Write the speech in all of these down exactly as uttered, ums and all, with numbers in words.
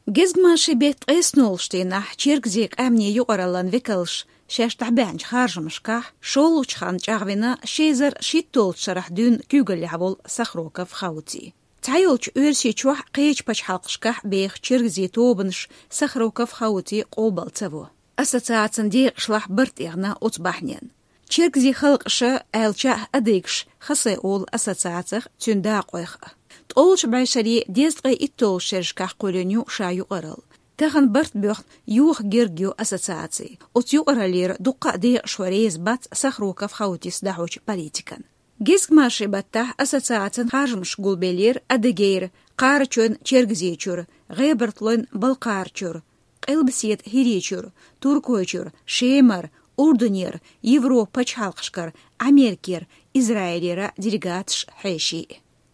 Гезгмашин бетта ткъеснолчу дийнахь Чергазийн къаьмнийн юкъараллин векалш шаьш дӀабаьхьначу харжамашкахь шолгӀачу ханна чӀагӀвина ши эзар шийтталгӀачу шарахь дуьйна куьйгаллехь волу Сахроков Хаути. Цхьайолчу Оьрсийчохь, кхечу пачхьалкхашкахь беха чергазийн тобанаш Сахроков Хаути къобал ца во. Ассоциацин декъашлахь барт эгна оцу бахьанин. Чергазийн халкъаша, аьлча а адыгаша, хасай олу ассоциацих, цуьнан дакъойх а. ТкъолгӀачу бӀешерийн дезткъе итталгӀачу шерашкахь кхоьллина ю ша юкъаралла. Тахана барт боьхна йоха герга ю ассоциаци. Оцу юкъараллера дуккха а декъашхой реза бац Сахроков Хаутис дӀахьочу политикана. Гезгмашин баттахь ассоциацин харжамаш гулбеллера Адыгейра, Кхарачойн-Чергазийчуьра, ГӀебартойн-Балкхарачуьра, Къилбаседа ХӀирийчуьра, Туркойчуьра, Шемара, Урдунера, Европан пачхьалкхашкара, Америкера, Израилера делегаташ, хьеший.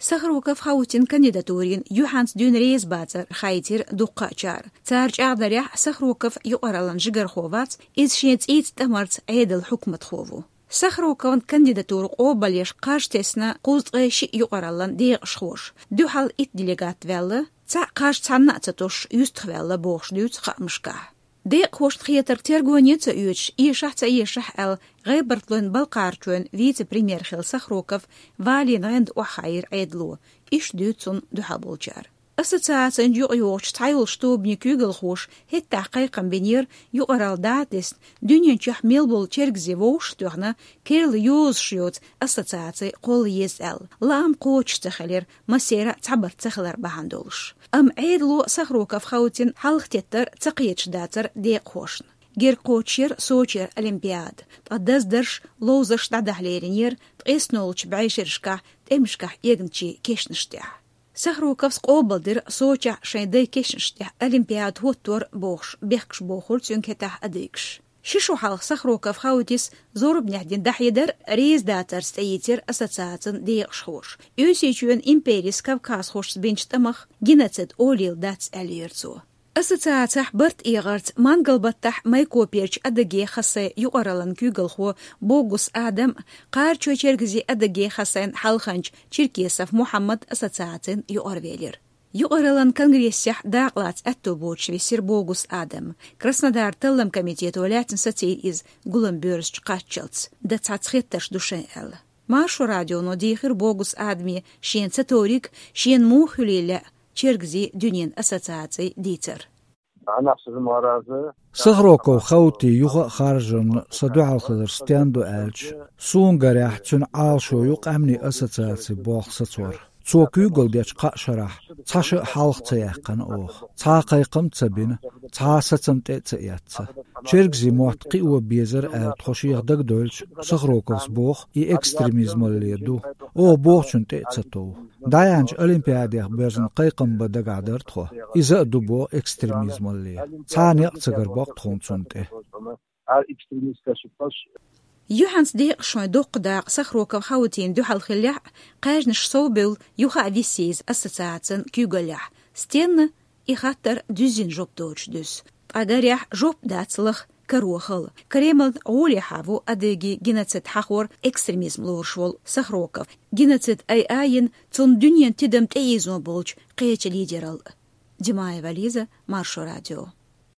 Сахроков Хаутин кандидатурина юьхьанца дуьйна реза бацар хаийтира дуккха а чара. Цара чӀагӀдарехь, Сахроков юкъараллин жигархо вац, иза шен цӀийца тӀамарца Ӏедалан хьукматхо ву. Сахроковн кандидатура къобалъеш кхаж тесна кхузткъе шиъ юкъараллин декъашхоша, дуьхьал итт делегат ваьлла, цхьаъ кхаж цхьанна а ца тосуш юьстахваьлла бохуш дуьйцу хаамашкахь. Декъахошна хетарг тергоне а ца оьцуш, эшахь а ца эшахь а аьлла, ГӀебартойн-Балкхарачойн вице-премьер хилла Сахроков валийна гӀенда охьахаийра Ӏедало, иштта дуьйцу цунна дуьхьал болчара. Ассоциацин юкъайогӀучу цхьайолчу тобанийн куьйгалхоша хӀеттахь кхайкхам бинера юкъаралла дӀа а тесна, дуьнен чохь мел болу чергазий вовшах а тоьхна, керла йозуш йоцу ассоциаци кхолла еза аьлла. Лаам кхочуш ца хилира, массеран а цхьабарт ца хилар бахьана долуш. Амма Ӏедало Сахроков Хаутин хьалхатеттар ца кхеташ дацара декъахошна. Герга кхочушъяра Сочера Олимпиада, ткъа даздарш, ловзарш дӀадахьа леринера ткъеснолгӀачу бӀешерашкахь тӀемашкахь эгначийн кешнаш тӀехь. Сахроковс къобалдира Сочехь шайн дайн кешнаш тӀехь Олимпиада хӀоттор бохуш, бехкаш бохура цуьнга хӀетахь адыгаш. Ши шо хьалха Сахроков Хаутис зорбанехь дина дӀахьедар реза дацарца тӀеийцира ассоциацин декъашхоша. Оьрсийчоьнан империс кавказхошца бинчу тӀамах геноцид олийла дац, аьллера цо. Ассоциацехь барт эгӀарца Мангалбаттахь Майкоперчу Адыгейн-Хасайн юкъараллин куьйгалхо Богус Адам, Кхарачой-Чергазийн Адыгейн-Хасайн хьалханча Черкесов Мухьаммад ассоциацин юкъарвелира. Юкъараллин конгрессехь дакъалаца аьтто боцуш висира Богус Адам. Краснодаран таллам комитето лаьцна сацийра иза гулам боьрзучу кхаччалц, дан цхьацца хеттарш ду шайн аьлла. Маршо радионо дийхира Богус Адаме шена ца товриг, шена муха хуьлийла лаьа чергазийн дуьненан ассоциаци дийцар. Сахроков Хаути юха а харжарна сан дуьхьал хилар стенна ду аьлча, суна гарехь, цуьнан Ӏалашо ю къаьмнийн ассоциаци болх сацор. Цо куьйгалла дечу кхаа шарахь цхьа ша а хьалха ца яьккхина оха, цхьа а кхайкхам а ца бина, цхьа а сацам тӀе а ца эцна. Чергазийн мотт кхио безара аьлла тхо шех дагадойлча, Сахроковс боху, и экстремизмалле ду. Оха бохучунна тӀе а ца тов. ДӀаяьхьначу Олимпиадех боьзна кхайкхам бан дагахь дара тхо. Иза а ду боху экстремизмалле. Цхьа а некъ ца гар боккху тхуна цунна тӀе. Юьхьанца декъашхойн доккха дакъа Сахроков Хаутина дуьхьал хиллехь а, кхаьжнаш совбевлла, юха а висйийза ассоциацин куьйгаллехь. Стенна? И хаттар дуьззина жоп доцуш дуьсу. Ткъа гарехь, жоп дац лаха, каро хала. Кремлан гӀолехьа ву адыгийн геноцид хьахор, экстремизм лоруш волу Сахроков. Геноцид айъа йина цунна дуьненан тидам тӀеийзо болчу кхечу лидералла. Димаева Лиза, Маршо радио.